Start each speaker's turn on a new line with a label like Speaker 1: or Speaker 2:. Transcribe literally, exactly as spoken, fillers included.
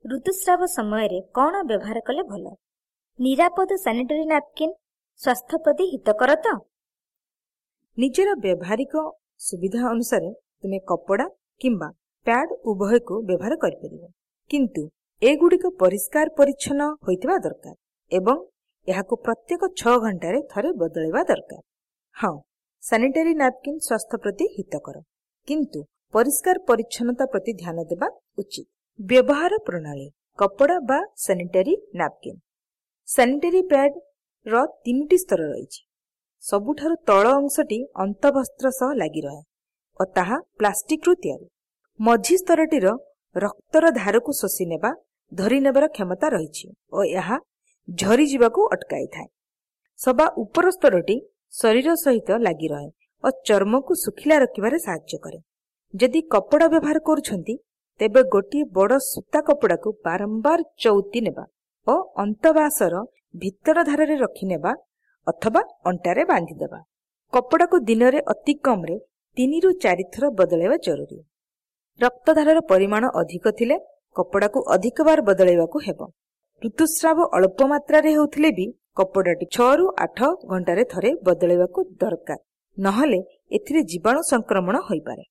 Speaker 1: ଋତୁସ୍ରାବ ସମୟରେ କ'ଣ ବ୍ୟବହାର କଲେ ଭଲ? ନିରାପଦ ସାନିଟାରୀ ନାପକିନ୍ ସ୍ୱାସ୍ଥ୍ୟ ପ୍ରତି ହିତକର ତ?
Speaker 2: ନିଜର ବ୍ୟବହାରିକ ସୁବିଧା ଅନୁସାରେ ତୁମେ କପଡ଼ା କିମ୍ବା ପ୍ୟାଡ୍ ଉଭୟକୁ ବ୍ୟବହାର କରିପାରିବ, କିନ୍ତୁ ଏଗୁଡ଼ିକ ପରିଷ୍କାର ପରିଚ୍ଛନ୍ନ ହୋଇଥିବା ଦରକାର ଏବଂ ଏହାକୁ ପ୍ରତ୍ୟେକ ଛଅ ଘଣ୍ଟାରେ ଥରେ ବଦଳାଇବା ଦରକାର। ହଁ, ସାନିଟାରୀ ନାପକିନ୍ ସ୍ୱାସ୍ଥ୍ୟ ପ୍ରତି ହିତକର, କିନ୍ତୁ ପରିଷ୍କାର ପରିଚ୍ଛନ୍ନତା ପ୍ରତି ଧ୍ୟାନ ଦେବା ଉଚିତ। ବ୍ୟବହାର ପ୍ରଣାଳୀ: କପଡ଼ା ବା ସାନିଟାରୀ ନାପକିନ୍। ସାନିଟାରୀ ପ୍ୟାଡ୍ର ତିନିଟି ସ୍ତର ରହିଛି। ସବୁଠାରୁ ତଳ ଅଂଶଟି ଅନ୍ତଃବସ୍ତ୍ର ସହ ଲାଗି ରହେ ଓ ତାହା ପ୍ଲାଷ୍ଟିକରୁ ତିଆରି। ମଝି ସ୍ତରଟିର ରକ୍ତର ଧାରକୁ ଶୋଷି ନେବା, ଧରି ନେବାର କ୍ଷମତା ରହିଛି ଓ ଏହା ଝରିଯିବାକୁ ଅଟକାଇଥାଏ। ସବା ଉପର ସ୍ତରଟି ଶରୀର ସହିତ ଲାଗି ରହେ ଓ ଚର୍ମକୁ ଶୁଖିଲା ରଖିବାରେ ସାହାଯ୍ୟ କରେ। ଯଦି କପଡ଼ା ବ୍ୟବହାର କରୁଛନ୍ତି, ତେବେ ଗୋଟିଏ ବଡ଼ ସୂତା କପଡ଼ାକୁ ବାରମ୍ବାର ଚଉତି ନେବା ଓ ଅନ୍ତବାସର ଭିତର ଧାରରେ ରଖିନେବା ଅଥବା ଅଣ୍ଟାରେ ବାନ୍ଧିଦେବା। କପଡ଼ାକୁ ଦିନରେ ଅତି କମ୍ରେ ତିନିରୁ ଚାରିଥର ବଦଳାଇବା ଜରୁରୀ। ରକ୍ତଧାରର ପରିମାଣ ଅଧିକ ଥିଲେ କପଡ଼ାକୁ ଅଧିକ ବାର ବଦଳାଇବାକୁ ହେବ। ଋତୁସ୍ରାବ ଅଳ୍ପ ମାତ୍ରାରେ ହେଉଥିଲେ ବି କପଡ଼ାଟି ଛଅରୁ ଆଠ ଘଣ୍ଟାରେ ଥରେ ବଦଳାଇବାକୁ ଦରକାର, ନହେଲେ ଏଥିରେ ଜୀବାଣୁ ସଂକ୍ରମଣ ହୋଇପାରେ।